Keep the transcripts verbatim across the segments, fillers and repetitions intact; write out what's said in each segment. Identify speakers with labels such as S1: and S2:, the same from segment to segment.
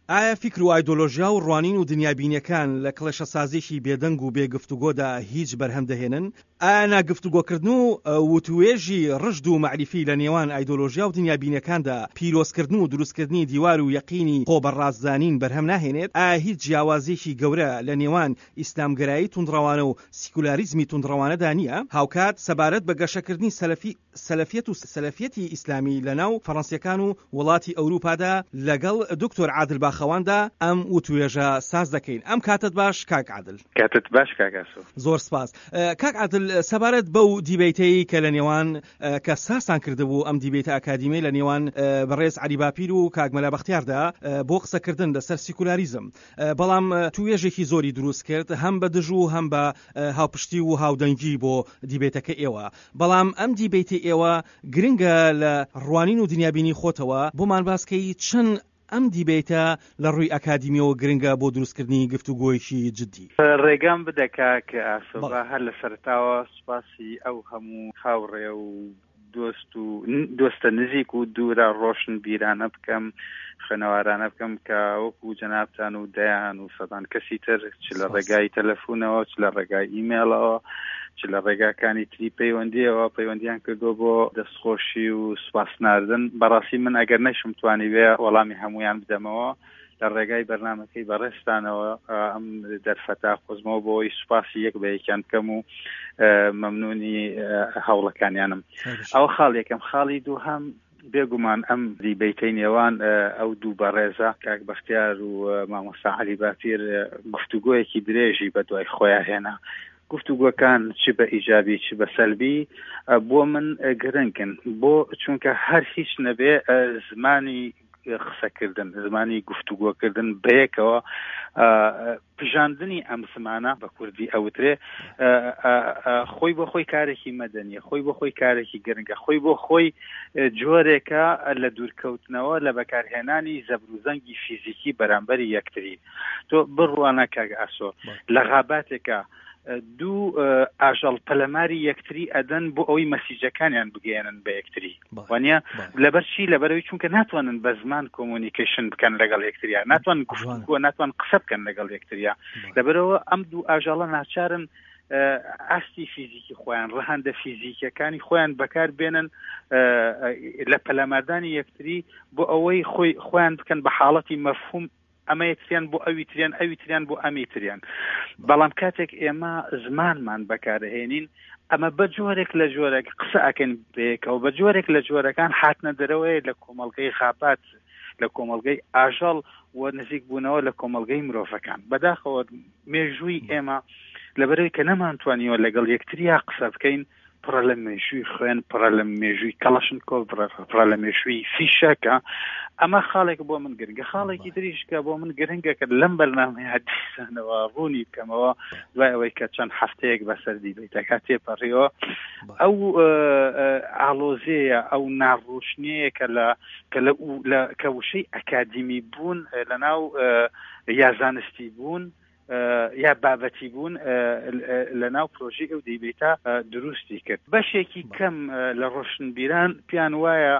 S1: ئایا فیکر و ئایدۆلۆژیا و ڕوانین و دنیابینیەکان لە کڵێشەسازیی بێدەنگ و بێ گفتوگۆدا هیچ بەرهەم دەهێنن؟ ئایا ناگفتوگۆکردن و وتوێژی ڕژد و مەعریفی لە نێوان ئایدۆلۆژیا و دنیابینیەکاندا پیرۆزکردن و دروستکردنی دیوار و یەقینی خۆ بەڕاستزانین بەرهەم ناهێنێت؟ ئایا هیچ جیاوازیەکی گەورە لە نێوان ئیسلامگەرایی توندڕەوانە و سیکولاریزمی توندڕەوانەدا نییە؟ هاوکات سەبارەت بە گەشەکردنی سەلەفی سەلەفیەت و سەلەفیەتی ئیسلامی لە ناو فەڕەنسیەکان و وڵاتی ئەوروپادا لەگەڵ دکتۆر عادل باخەواندا ئەم وتوێژە ساز دەکەین. ئەم کاتت باش کاک عادل.
S2: کاتت باش کاک ئاسۆ.
S1: زۆر سپاس. کاک عادل، سەبارەت بەو دیبەیتەی کە لە نێوان کە سازتان کردبوو، ئەم دیبەیتە ئەکادیمی لە نێوان بەڕێز عەلی باپیر و کاک مەلا بەختیاردا بۆ قسەکردن لەسەر سیکولاریزم، بەڵام توێژێکی زۆری دروست کرد هەم بە دژ و هەم بە هاوپشتی و هاودەنگی بۆ دیبەیتەکە ئێوە. بەڵام ئەم دیبەیتی ئێوە گرنگە لە ڕوانین و دنیابینی خۆتەوە بۆمان باسکەی چەند ئەم دیبەیتە لە ڕووی ئەکادیمیەوە گرنگە بۆ دروستکردنی گفتوگۆیەکی جدی.
S2: ڕێگام بدە کاک ئاسۆ، هەر لە سەرەتاوە سوپاسی ئەو هەموو هاوڕێ و دۆست و دۆستە نزیک و دوورە ڕۆشنبیرانە بکەم، خوێنەوارانە بکەم کە وەکو جەنابتان و دەیان و سەدان کەسی تر چ لە ڕێگای تەلەفۆنەوە، چ لە ڕێگای ئیمێڵەوە، چ لە ڕێگاکانی تری پەیوەندیەوە پەیوەندیان کردو بۆ دەستخۆشی و سوپاس ناردن. بەڕاستی من ئەگەر نەشم توانی بێ وەڵامی هەمویان بدەمەوە، لە ڕێگای بەرنامەکەی بەڕێستانەوە ئەم دەرفەتا قۆزمەوە بۆی سوپاسی یەک بە یەکیان بکەم و مەمنونی هەوڵەکانیانم. ئەوە خاڵ یەکەم. خاڵی دووهەم، بێگومان ئەم دیبەیتەی نێوان ئەو دوو بەڕێزە کاک بەختیار و مامۆستا عەلی باپیر گفتوگۆیەکی درێژی بە دوای خۆیان هێنا. گفتوگۆکان چ بە ئیجابی چ بە سەلبی بۆ من گرنگن، بۆ چونکە هەر هیچ نەبێ زمانی قسەکردن، زمانی گفتوگۆکردن بەیەکەوە پژاندنی ئەم زمانە بە کوردی ئەوترێ خۆی بۆ خۆی کارێکی مەدەنیە، خۆی بۆ خۆی کارێکی گرنگە، خۆی بۆ خۆی جۆرێکە لە دوورکەوتنەوە لە بەکارهێنانی زەبروزەنگی فیزیکی بەرامبەری یەکتری. تۆ بڕوانە کاک ئاسۆ، لە غاباتێکە دوو ئاژەڵ پەلەماری یەکتری ئەدەن بۆ ئەوەی مەسیجەکانیان بگەیەنن بە یەکتری، وانە لەبەر چی؟ لەبەرەوەی چونکە ناتوانن بە زمان communication بکەن لەگەڵ یەکتریا، ناتوانن گفتوگۆ، ناتوان قسە بکەن لەگەڵ یەکتریا. لەبەرەوە ئەم دوو ئاژەڵە ناچارن ئاستی فیزیکی خۆیان، ڕەهەندە فیزیکیەکانی خۆیان بەکار بێنن لە پەلاماردانی یەکتری بۆ ئەوەی خۆی خۆیان بکەن بە حاڵەتی مەفهوم ئەمە یەکتریان بۆ ئەوی تریان، ئەوی تریان بۆ ئەمی تریان. بەڵام کاتێک ئێمە زمانمان بەکارهێنین، ئەمە بە جۆرێک لە جۆرێک قسە ئەکەن بەیەکەوە، بە جۆرێک لە جۆرەکان هاتنە دەرەوەی لە کۆمەڵگەی غابات، لە کۆمەڵگەی ئاژەڵ و نزیک بوونەوە لە کۆمەڵگەی مرۆڤەکان. بەداخەوە مێژووی ئێمە لەبەرەوەی کە نەمانتوانیوە لەگەڵ یەکتریا قسە بکەین، پڕە لە مێژووی خوێن، پڕە لە مێژووی کەڵەشنکۆف، پڕە لە مێژووی فیشەکە. ئەمە خاڵێک بۆ من گرنگە. خاڵێکی تریش کە بۆ من گرنگە کە لەم بەرنامەیە دیسانەوە ڕوونی بکەمەوە دوای ئەوەی کە چەند هەفتەیەک بەسەر دیبەیتەکە تێپەڕیەوە، ئەو ئاڵۆزیەیە، ئەو ناڕۆشنیەیە کە لە کە لە کە وشەی ئەکادیمی بوون لەناو یا زانستی بوون یا بابەتی بوون لە ناو پرۆژەی ئەو دیبەیتە دروستی کرد. بەشێکی کەم لە ڕۆشنبیران پێیان وایە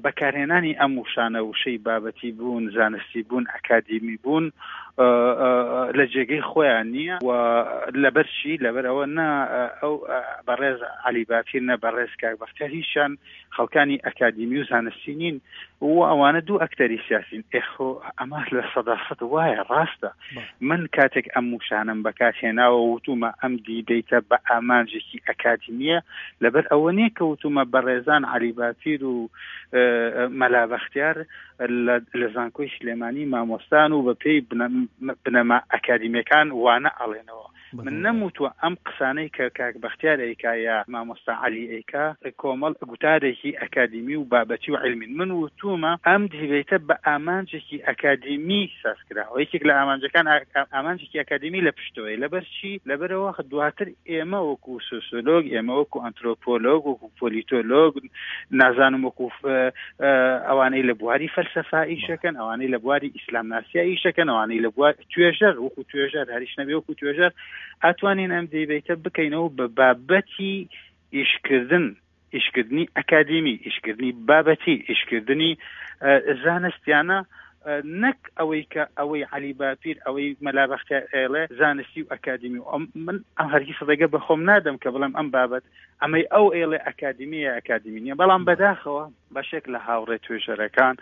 S2: بەکارهێنانی ئەم وشانە، وشەی بابەتی بوون، زانستی بوون، ئەکادیمی بوون لە جێگەی خۆیان نییە. و لەبەر چی؟ لەبەر ئەوە نا ئەو بەڕێز عەلی باپیر نە بەڕێز کاک بەختیار هیچیان خەڵکانی ئەکادیمی و زانستی نین و ئەوانە دوو ئەکتەری سیاسین. ئێخۆ ئەمە لە سەدا سەد وایە، ڕاستە. من کاتێک ئەم وشانەم بەکارهێناوە وتومە ئەم دیبەیتە بە ئامانجێکی ئەکادیمیە، لەبەر ئەوە نییە کە وتومە بەڕێزان عەلی باپیر و مەلا بەختیار لە زانکۆی سلێمانی مامۆستان و بە پێی بنەما ئەکادیمیەکان وانە ئەڵێنەوە. من نەموتوە ئەم قسانەی کە کاک بەختیار ئەیکا یا مامۆستا عەلی ئەیکا کۆمەڵ گوتارێکی ئەکادیمی و بابەتی و عیلمین. من وتومە ئەم دیبەیتە بە ئامانجێکی ئەکادیمی ساز کراوە. یەکێک لە ئامانجەکان ئامانجێکی ئەکادیمی لە پشتەوەی. لەبەر چی؟ لەبەرەوە دواتر ئێمە وەکو سۆسیۆلۆگ، ئێمە وەکو ئەنترۆپۆلۆگ، وەکو پۆلیتۆلۆگ، نازانم وەکو ئەوانەی لە بواری فەلسەفا ئیشەکەن، ئەوانەی لە بواری ئیسلامناسیا ئیشەکەن، ئەوانەی لە بوار توێژەر وەکو توێژەر هەریش نەبێ وەکو توێژەر، ئەتوانین ئەم دیبەیتە بکەینەوە بە بابەتی ئیشکردن، ئیشکردنی ئەکادیمی، ئیشکردنی بابەتی، ئیشکردنی زانستیانە نەک ئەوەی کە ئەوەی عەلی باپیر ئەوەی مەلا بەختیار ئێڵێ زانستی و ئەکادیمی و من ئەم هەرگیز ڕێگە بە خۆم نادەم کە بڵێم ئەم بابەت ئەمەی ئەو ئێڵێ ئەکادیمیە ئەکادیمی نییە. بەڵام بەداخەوە بەشێک لە هاوڕێ توێژەرەکان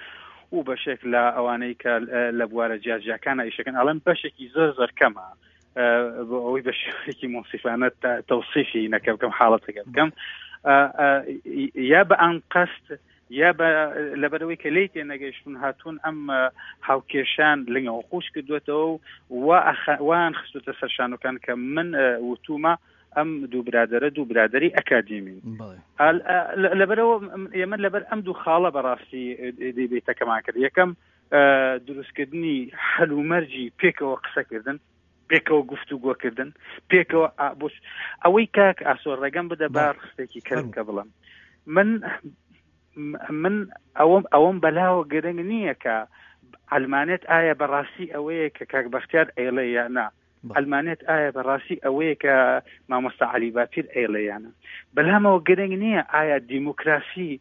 S2: و بەشێک لە ئەوانەی کە لە بوارە جیاجیاکانە ئیشەکەن ئەڵێم بەشێکی زۆر زۆر کەمە بۆ ئەوەی بە شێوەیەکی مونسیفانە تەوسیفی نەکە بکەم حاڵەتەکە بکەم یا بە ئەنقەست یا لەبەرەوەی کە لێی تێنەگەیشتون هاتوون ئەم هاوکێشان لنگەوە خۆش کردوێتەوە و وان خستوتە سەر شانۆکان کە من وتومە ئەم دوو برادەرە دوو برادەری ئەکادیمین. لەبەرەوە ئێمە لەبەر ئەم دوو خاڵە بەڕاستی دیبەیتەکەمان کرد. یەکەم دروستکردنی هەلومەرجی پێکەوە قسەکردن، پێکەوە گفتوگۆکردن، پێکەوە ئەوەی کاک ئاسۆ ڕێگەم بدە با ڕستێکی کرد کە بڵم من من ئەوەم ئەوەم بەلاوە گرنگ نییە کە ئەلمانێت ئایا بەڕاستی ئەوەیە کە کاک بەختیار ئێڵێ یا نا، ئەلمانێت ئایا بەڕاستی ئەوەیە کە مامۆستا عەلی باپیر ئێڵێ یا نا. بەلامەوە گرنگ نییە ئایا دیموکراسی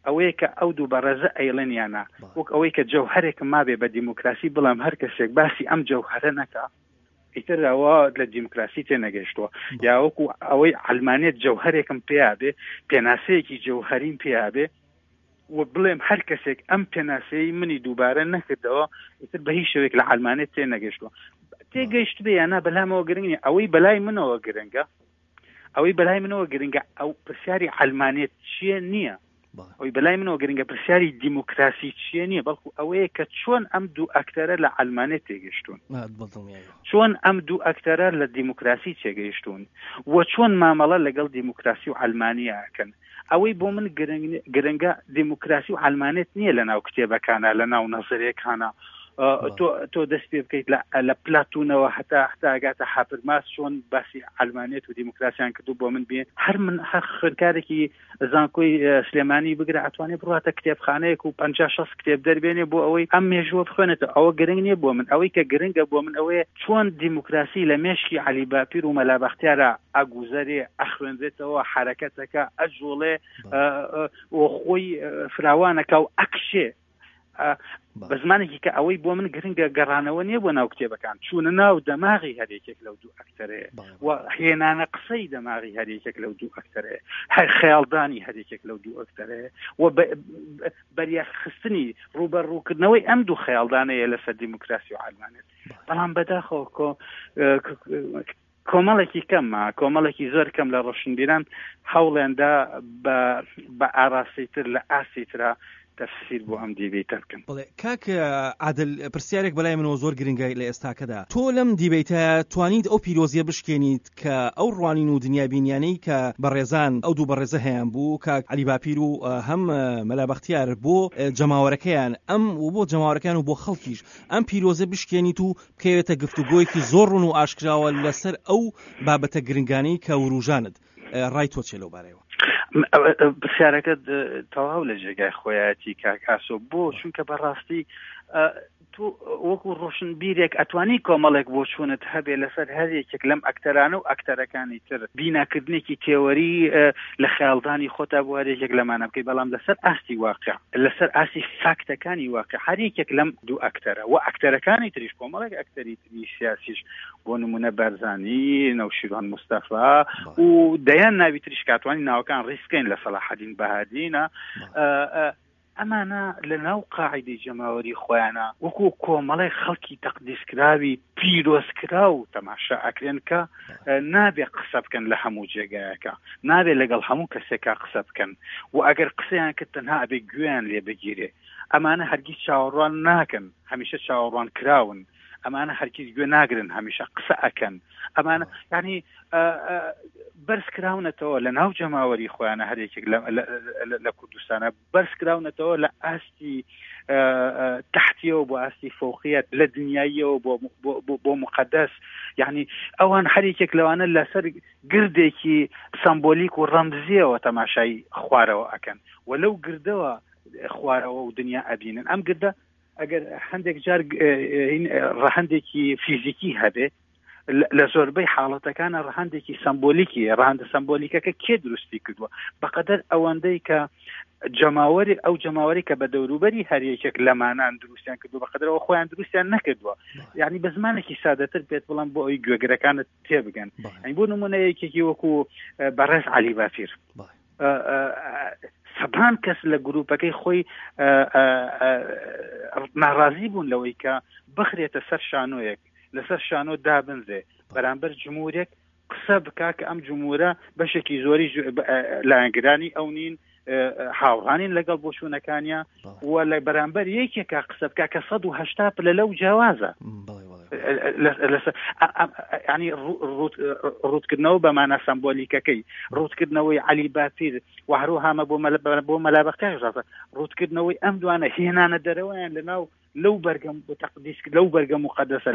S2: ئەوەیە کە ئەو دوو بەڕێزە ئەیڵێن یا نا، وەک ئەوەی کە جەوهەرێکم مابێ بە دیموکراسی بڵام هەر کەسێک باسی ئەم جەوهەرە نەکا ئیتر ئەوە لە دیموکراسی تێنەگەیشتووە، یا وەکو ئەوەی ئەلمانێت جەوهەرێکم پێیا بێ، پێناسەیەکی جەوهەریم پێیا بێ و بڵێم هەر کەسێک ئەم پێناسەی منی دووبارە نەکردەوە ئیتر بە هیچ شێوەیەک لە ئەلمانێت تێنەگەیشتووە. تێگەیشت بێ یا نا بەلامەوە گرنگ نییە. ئەوەی بەلای منەوە گرنگە، ئەوەی بەلای منەوە گرنگە ئەو پرسیاری ئەلمانێت چییە نییە، ئەوەی بەلای منەوە گرنگە پرسیاری دیموکراسی چییە نییە، بەڵکو ئەوەیە کە چۆن ئەم دوو ئەکتەرە لە ئەلمانێت تێگەیشتوون، چۆن ئەم دوو ئەکتەرە لە دیموکراسی تێگەیشتوون و چۆن مامەڵە لەگەڵ دیموکراسی و ئەلمانیا ئەکەن. ئەوەی بۆ من گرنگە دیموکراسی و ئەلمانێت نییە لە ناو کتێبەکانە، لە ناو نەزەرەکانە. تۆ دەست پێ بکەیت لە پلاتونەوە هەتا هەتا ئەگاتە هابرماس چۆن باسی ئەلمانێت و دیموکراسیان کردو بۆ من بێ هەر من هەر خوێندکارێکی زانکۆی سلێمانی بگرە ئەتوانێت بڕاتە کتێبخانەیەک و پەنجا شەست کتێب دەربێنێ بۆ ئەوەی ئەم مێژووە بخوێنێتەوە. ئەوە گرنگ نییە بۆ من. ئەوەی کە گرنگە بۆ من ئەوەیە چۆن دیموکراسی لە مێشکی عەلی باپیر و مەلا بەختیارە ئەگوزەرێ، ئەخوێنرێتەوە، حرەکەتەکە ئەجوڵێ و خۆی فراوانەکە و ئەکشێ. بە زمانێکی کە ئەوەی بۆ من گرنگە گەڕانەوە نییە بۆ ناو کتێبەکان، چوونە ناو دەماغی هەرێکێک لەو دوو ئەکتەرەیە و هێنانە قسەی دەماغی هەرێکێک لەو دوو ئەکتەرەیە، هەر خەیاڵدانی هەرێکێک لەو دوو ئەکتەرەیە و بەریاخستنی ڕووبەڕووکردنەوەی ئەم دوو خەیاڵدانەیە لەسەر دیموکراسی و ئەلمانێت. بەڵام بەداخەوە کۆمەڵێکی کەمە، کۆمەڵێکی زۆر کەم لە ڕۆشنبیران هەوڵێندا بە ئاراستەیتر لە ئاستیترا تەفسیر بۆ ئەم دیبەیتە بکەن.
S1: بەڵێ کاک عادل، پرسیارێک بەلای منەوە زۆر گرنگە لە ئێستاکەدا. تۆ لەم دیبەیتە توانیت ئەو پیرۆزیە بشکێنیت کە ئەو ڕوانین و دنیابینیانەی کە بەڕێزان ئەو دوو بەڕێزە هەیان بوو، کاک عەلی باپیر و هەم مەلا بەختیار، بۆ جەماوەرەکەیان ئەم و بۆ جەماوەرەکان و بۆ خەڵکیش ئەم پیرۆزە بشکێنیت و بکەوێتە گفتوگۆیەکی زۆر ڕوون و ئاشکراوە لەسەر ئەو بابەتە گرنگانەی کە وروژانت. ڕای تۆ چێ لەو بارەیەوە؟
S2: پرسیارەکە تەواو لە جێگای خۆیەتی کاک ئاسۆ. بۆ چونکە بەڕاستی تۆ وەکو ڕۆشنبیرێک ئەتوانی کۆمەڵێک بۆچوونت هەبێ لەسەر هەر یەکێک لەم ئەکتەرانە و ئەکتەرەکانی تر، بیناکردنێکی تێوەری لە خەیاڵدانی خۆتا بۆ هەر یەکێک لەمانە بکەیت، بەڵام لەسەر ئاستی واقع، لەسەر ئاستی فاکتەکانی واقع هەر یەکێک لەم دوو ئەکتەرە و ئەکتەرەکانی تریش، کۆمەڵێک ئەکتەری تری سیاسیش بۆ نمونە بارزانی، نەوشیروان مستەفا و دەیان ناوی تریش کاتوانی ناوەکان ڕیسکەین لە سەلاحەدین بەهادینە، ئەمانە لە ناو قاعدەی جەماوەری خۆیانە وەکو کۆمەڵی خەڵکی تەقدیسکراوی پیرۆزکراو تەماشا ئەکرێن کە نابێ قسە بکەن لە هەموو جێگایەکە، نابێ لەگەڵ هەموو کەسێکا قسە بکەن و ئەگەر قسەیان کرد تەنها ئەبێ گوێیان لێ بگیرێ. ئەمانە هەرگیز چاوەڕوان ناکەن، هەمیشە چاوەڕوان کراون. ئەمانە هەرگیز گوێ ناگرن، هەمیشە قسە ئەکەن. ئەمانە یعنی بەرز کراونەتەوە لە ناو جەماوەری خۆیانە، هەر یەکێک لە کوردستانە بەرز کراونەتەوە لە ئاستی تحتیەوە بۆ ئاستی فەوقیەت، لە دنیاییەوە بۆ مقەدەس. یعنی ئەوان هەر یەکێک لەوانە لەسەر گردێکی سەمبۆلیک و ڕەمزیەوە تەماشای خوارەوە ئەکەن و لەو گردەوە خوارەوە و دنیا ئەبینن. ئەم گردە ئەگەر هەندێک جار ڕەهەندێکی فیزیکی هەبێ، لە زۆربەی حاڵەتەکانە ڕەهەندێکی سمبۆلیکی، ڕەهەندە سمبۆلیکەکە کێ دروستی کردووە؟ بەقەدەر ئەوەندەی کە جەماوەری ئەو جەماوەری کە بە دەوروبەری هەر یەکێک لەمانان دروستیان کردو، بەقەدرەوە خۆیان دروستیان نەکردووە. یعنی بە زمانێکی سادەتر پێت بڵام بۆ ئەوی گوێگرەکانت تێبگەن. یعنی بۆ نمونە یەکێکی وەکو بەڕێز عەلی باپیر، سەدان کەس لە گروپەکەی خۆی ناڕازی بوون لەوەی کە بخرێتە سەر شانۆیەک، لەسەر شانۆ دابنرێ بەرامبەر جمهورێک قسە بکا کە ئەم جمهورە بەشێکی زۆری لایەنگرانی ئەو نین، هاوڕانین لەگەڵ بۆچوونەکانیا، و لە بەرامبەر یەکێکا قسە بکا کە سەد و هەشتا پلە لەو جیاوازە. ینی ڕووتکردنەوە بە مانا سەمبۆلیکەکەی، ڕووتکردنەوەی عەلی باپیر و هەروەهامە بۆ مەلا بەختیار ڕاستە، ڕووتکردنەوەی ئەم دوانە هێنانە دەرەوەیان لەناو لەو بەرگەم تەقدیس، لەو بەرگە موقەدەسە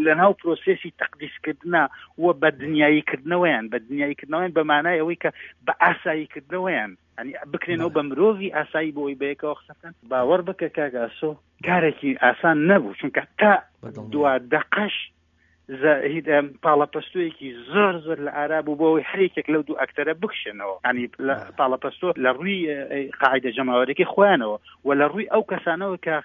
S2: لەناو پرۆسێسی تەقدیسکردنە و بە دنیاییکردنەوەیان، بە دنیاییکردنەوەیان بە مانای ئەوەی کە بە ئاساییکردنەوەیان، ینی بکرێنەوە بە مرۆڤی ئاسایی بۆ ئەوەی بەیەکەوە قسە بکەن. باوەڕ بکە کاک ئاسۆ کارێکی ئاسان نەبوو، چونکە تا دوا دەقەش پاڵەپەستۆیەکی زۆر زۆر لە ئارا بوو بۆ ئەوەی هەر یەکێک لەو دوو ئەکتەرە بکشێنەوە. ینی پاڵەپەستۆ لە ڕووی قاعدە جەماوەرەکەی خۆیانەوە و لە ڕووی ئەو کەسانەوە کە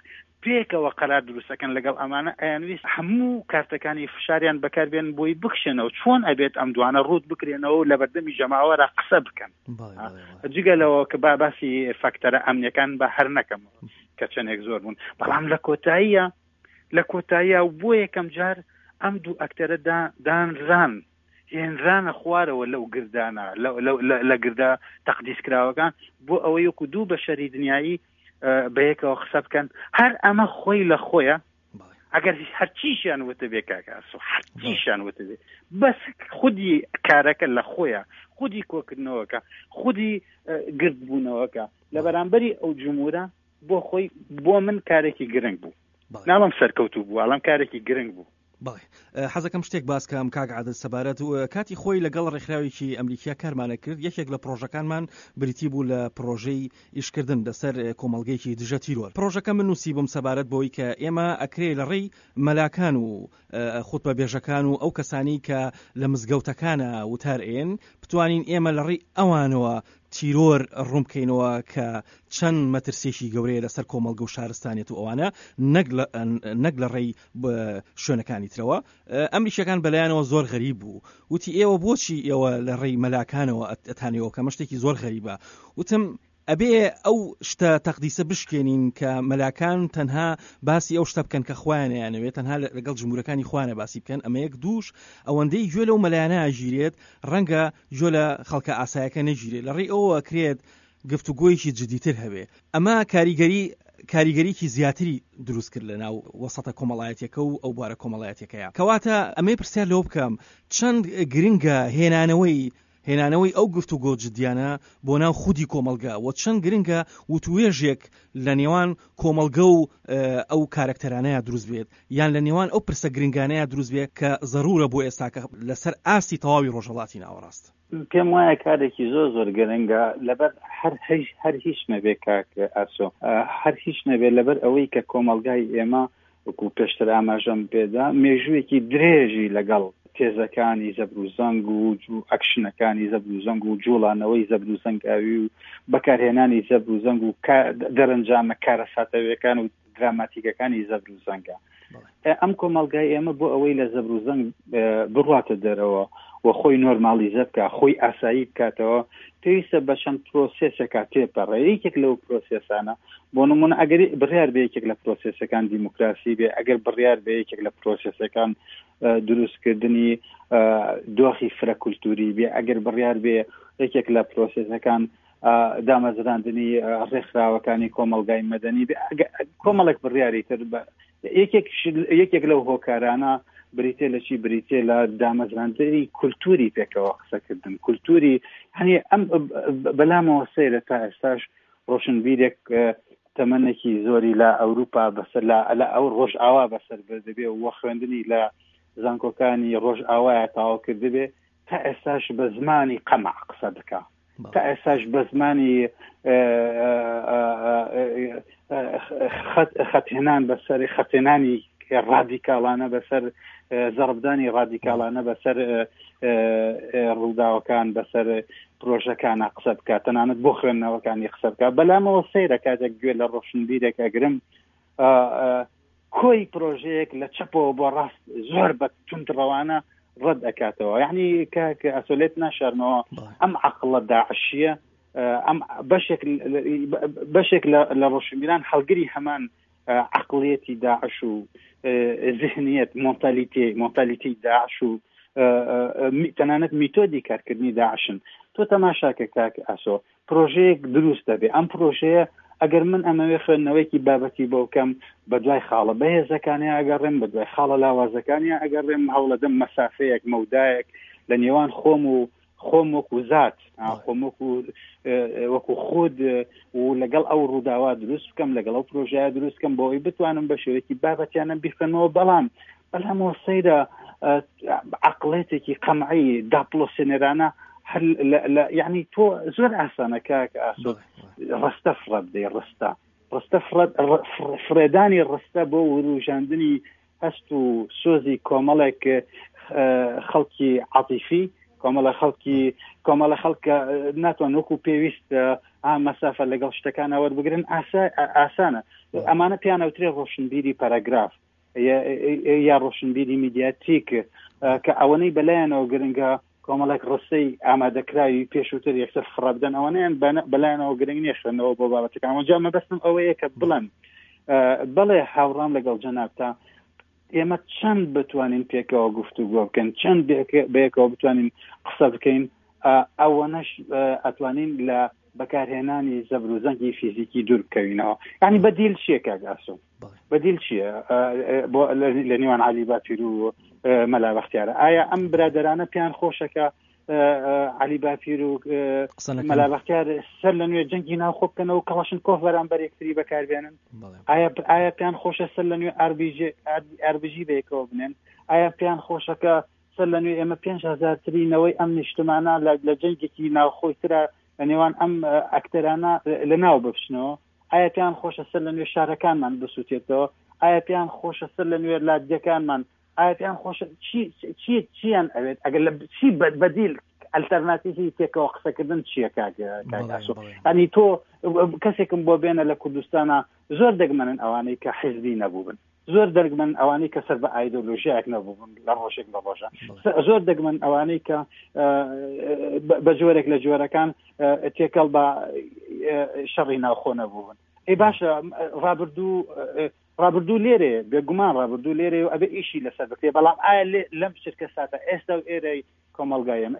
S2: پێکەوە قەرار دروستەکەن لەگەڵ ئەمانە، ئەیانویست هەموو کارتەکانی فشاریان بەکاربێن بۆی بکشێنەوە. چۆن ئەبێت ئەم دوانە ڕووت بکرێنەوە و لە بەردەمی جەماوەرە قسە بکەن؟ جگە لەوە کە با باسی فاکتەرە ئەمنیەکان بە هەر نەکەم کە چەندێک زۆر بوون، بەڵام لە کۆتاییە لە کۆتاییە و بۆ یەکەم جار ئەم دوو ئەکتەرە دانران، هێنرانە خوارەوە لەو گردانە، لە گردە تەقدیسکراوەکان، بۆ ئەوەی وەکو دوو بەشەری دنیایی بەیەکەوە قسە بکەن. هەر ئەمە خۆی لە خۆیە، ئەگەر هەرچیشیان وتە بێ کاک ئاسۆ، هەرچیشیان وتە بێ، بەس خودی کارەکە لە خۆیە، خودی کۆکردنەوەکە، خودی گردبوونەوەکە لە بەرامبەری ئەو جمهورە بۆ خۆی بۆ من کارێکی گرنگ بوو. ناڵم سەرکەوتوو بوو، ئەڵام کارێکی گرنگ بوو.
S1: بەڵێ حەزەکەم شتێک باس کەم کاک عادل سەبارەت کاتی خۆی لەگەڵ ڕێکخراوێکی ئەمریکیا کارمانە کرد. یەکێک لە پرۆژەکانمان بریتی بوو لە پرۆژەی ئیشکردن لەسەر کۆمەڵگەیەکی دژە تیرۆر. پرۆژەکە من نووسی بووم سەبارەت بۆی کە ئێمە ئەکرێ لە ڕێی مەلاکان و خوتبە بێژەکان و ئەو کەسانی کە لە مزگەوتەکانە وتار ئێن بتوانین ئێمە لە ڕێی ئەوانەوە تیرۆر ڕوون بکەینەوە کە چەند مەترسێکی گەورەیە لەسەر کۆمەڵگە و شارستانێت و ئەوانە، نەک لە ڕێی شوێنەکانی ترەوە. ئەمریکیەکان بەلایەنەوە زۆر غەریب بوو، وتی ئێوە بۆچی ئێوە لە ڕێی مەلاکانەوە ئەتانەوە کە مەشتێکی زۆر غەریبە. وتم ئەبێ ئەو شتە تەقدیسە بشکێنین کە مەلاکان تەنها باسی ئەو شتە بکەن کە خۆیانیانەوێت، تەنها لەگەڵ جمهورەکانی خۆیانە باسی بکەن. ئەمە یەک دووش ئەوەندەی گوێ لەو مەلایانە ئەگیرێت ڕەنگە گوێ لە خەڵکە ئاسایەکە نەگیرێت، لە ڕێی ئەوە ئەکرێت گفتوگۆیەکی جدیتر هەبێ. ئەمە کاریگەری کاریگەریکی زیاتری دروست کرد لە ناو وەسەتە کۆمەڵایەتیەکە و ئەو بوارە کۆمەڵایەتیەکەیە. کەواتە ئەمەی پرسیار لەوە بکەم چەند گرنگە هێنانەوەی هێنانەوەی ئەو گفتوگۆ جدیانە بۆ ناو خودی کۆمەڵگە و چەند گرنگە وتوێژێک لە نێوان کۆمەڵگە و ئەو کارکتەرانەیە دروست بێت، یان لە نێوان ئەو پرسە گرنگانەیە دروست بێت کە زەرورە بۆ ئێستاکە لەسەر ئاستی تەواوی ڕۆژهەڵاتی ناوەڕاست.
S2: پێم وایە کارێکی زۆر زۆر گرنگە لەبەر هەر هەر هیچ نەبێ کاک ئاسۆ، هەر هیچ نەبێ لەبەر ئەوەی کە کۆمەڵگای ئێمە وەکو پێشتر ئاماژەم پێدا مێژوویەکی درێژی لەگەڵ تێزەکانی زەبر و زەنگ و ئەکشنەکانی زەبر و زەنگ و جوڵانەوەی زەبر و زەنگاوی و بەکارهێنانی زەبر و زەنگ و دەرەنجامە کارەساتەویەکان و دراماتیکەکانی زەبر و زەنگە. ئەم کۆمەڵگای ئێمە بۆ ئەوەی لە زەبر و زەنگ بڕواتە دەرەوە و خۆی نۆرمالیزە بکە، خۆی ئاسایی بکاتەوە، پێویستە بە چەند پرۆسێسێکا تێپەڕێ. یەکێک لەو پرۆسێسانە بۆ نمونە ئەگەر بڕیار بێ یەکێک لە پرۆسێسەکان دیموکراسی بێ، ئەگەر بڕیار بێ یەکێک لە پرۆسێسەکان دروستکردنی دۆخی فرە کولتوری بێ، ئەگەر بڕیار بێ یەکێک لە پرۆسێسەکان دامەزراندنی ڕێکخراوەکانی کۆمەڵگای مەدەنی بێ، کۆمەڵێک بڕیاری تر یەکێک لەو هۆکارانە بریتێ لە چی؟ بریتێ لە دامەزراندنی کولتوری پێکەوە قسەکردن، کولتوری هەنی ئەم بەلامەوە سەیرە تا ئێستاش ڕۆشنبیرێک تەمەنێکی زۆری لە ئەوروپا بەسەر لە ئەو ڕۆژئاوا بەسەر بردبێ و خوێندنی لە زانکۆکانی ڕۆژئاوایە تەواو کردبێ، تا ئێستاش بە زمانی قەمع قسە بکە، تا ئێستاش بە زمانی خەتهێنان بەسەر خەتهێنانی ڕادیکاڵانە بەسەر زەربدانی ڕادیکاڵانە بەسەر ڕووداوەکان بەسەر پرۆژەکانە قسە بکات، تەنانەت بۆ خوێندنەوەکانی قسە بکات. بەلامەوە سەیرە کاتێک گوێ لە ڕۆشنبیرێک ئەگرم کۆی پرۆژەیەک لە چەپەوە بۆ ڕاست زۆر بە توندڕەوانە ڕەت ئەکاتەوە. یعنی کاک ئەسۆلێت ناشارمەوە ئەم عەقڵە داعشیە، ئەم بەشێک بەشێک لە ڕۆشنبیران هەڵگری هەمان عەقڵیەتی داعش و ذهنیەت مۆنتالیتی مۆنتالیتی داعش و تەنانەت میتۆدی کارکردنی داعشن. تۆ تەماشاکە کاک ئاسۆ، پرۆژەیەک دروست دەبێ، ئەم پرۆژەیە ئەگەر من ئەمەوێ خوێندنەوەیەکی بابەتی بۆ بکەم بە دوای خاڵە بەهێزەکانیان ئەگەڕێم، بە دوای خاڵە لاوازەکانیان ئەگەڕێم، هەوڵەدەم مەسافەیەک مەودایەک لە نێوان خۆم و خۆم وەکو زات، خۆم وەکو وەکو خود و لەگەڵ ئەو ڕووداوە دروست بکەم، لەگەڵ ئەو پرۆژەیە دروست بکەم بۆ ئەوەی بتوانم بە شێوەیەکی بابەتیانە بیخوێنمەوە. بەڵام بەڵامەوە سەیرە عەقڵێتێکی قەمعی داپڵۆسێنەرانە هەر یعنی تۆ زۆر ئاسانە کاک ئاسۆ ڕستە فڕە بدەی، ڕستە ڕستە فڕێدانی ڕستە بۆ وروژاندنی هەست و سۆزی کۆمەڵێک خەڵکی عاتیفی، کۆمەڵە خەڵکی کۆمەڵە خەڵکە ناتوان وەکو پێویست مەسافە لەگەڵ شتەکانە وەربگرن ئاسانە. ئەمانە پیانەوترێ ڕۆشنبیری پەرەگراف یا ڕۆشنبیری میدیاتیک کە ئەوەنەی بەلایەنەوە گرنگە کۆمەڵێک ڕستەی ئامادەکراوی پێشووتر یەکسەر فڕە بدەن، ئەوانەیان بەلایەنەوە گرنگ نییە خوێندنەوە بۆ بابەتەکان. جا مەبەستم ئەوەیە کە بڵێم بەڵێ هاوڕام لەگەڵ جەنابتا، ئێمە چەند بتوانین پێکەوە گفتوگۆ بکەین، چەند بەیەکەوە بتوانین قسە بکەین، ئەوەنەش ئەتوانین لە بەکارهێنانی زەبر و زەنگی فیزیکی دوور بکەوینەوە. یعنی بەدیل چییە کاک ئاسۆ؟ بەدیل چییە لە نێوان عەلی باپیر و مەلا بەختیارە؟ ئایا ئەم برادەرانە پێیان خۆشەکە عەلی باپیر و مەلا بەختیار سەر لە نوێ جەنگی ناوخۆ بکەنەوە کەڵاشنکۆف بەرامبەر یەکتری بەکاربێنن؟ ئایا ئایا پێیان خۆشە سەر لە نوێ ئاربیجی بەیەکەوە بنێن؟ ئایا پێیان خۆشەکە سەر لە نوێ ئێمە پێنج هەزارترینەوەی ئەم نیشتمانە لە جەنگێکی ناوخۆی ترە لە نێوان ئەم ئەکتەرانە لە ناو بپچنەوە؟ ئایا پێیان خۆشە سەر لە نوێ شارەکانمان بسووتێتەوە؟ ئایا پێیان خۆشە سەر لە نوێ لادیەکانمان؟ ئایا پێیان خۆشە چی چی چیان ئەوێت؟ ئەگەر لە چی بەدیل ئەلتەرناتیڤی تێکەوە قسەکردن چییە کاک ئاسۆ؟ یعنی تۆ کەسێکم بۆ بێنە لە کوردستانە زۆر دەگمەنن ئەوانەی کە حیزبی نەبووبن، زۆر دەگمەن ئەوانەی کە سەر بە ئایدۆلۆژیایەک نەبووبن لە ڕۆژێک لە ڕۆژە، زۆر دەگمەن ئەوانەی کە بە جۆرێک لە جۆرەکان تێکەڵ بە شەڕی ناوخۆ نەبوون. ئەی باشە ڕابردوو ڕابردوو لێرێ، بێگومان ڕابردوو لێرێ و ئەبێ ئیشی لەسەر بکرێ، بەڵام ئایا لەم شرکە ساتە ئێستا و ئێرەی کۆمەڵگای ئێمە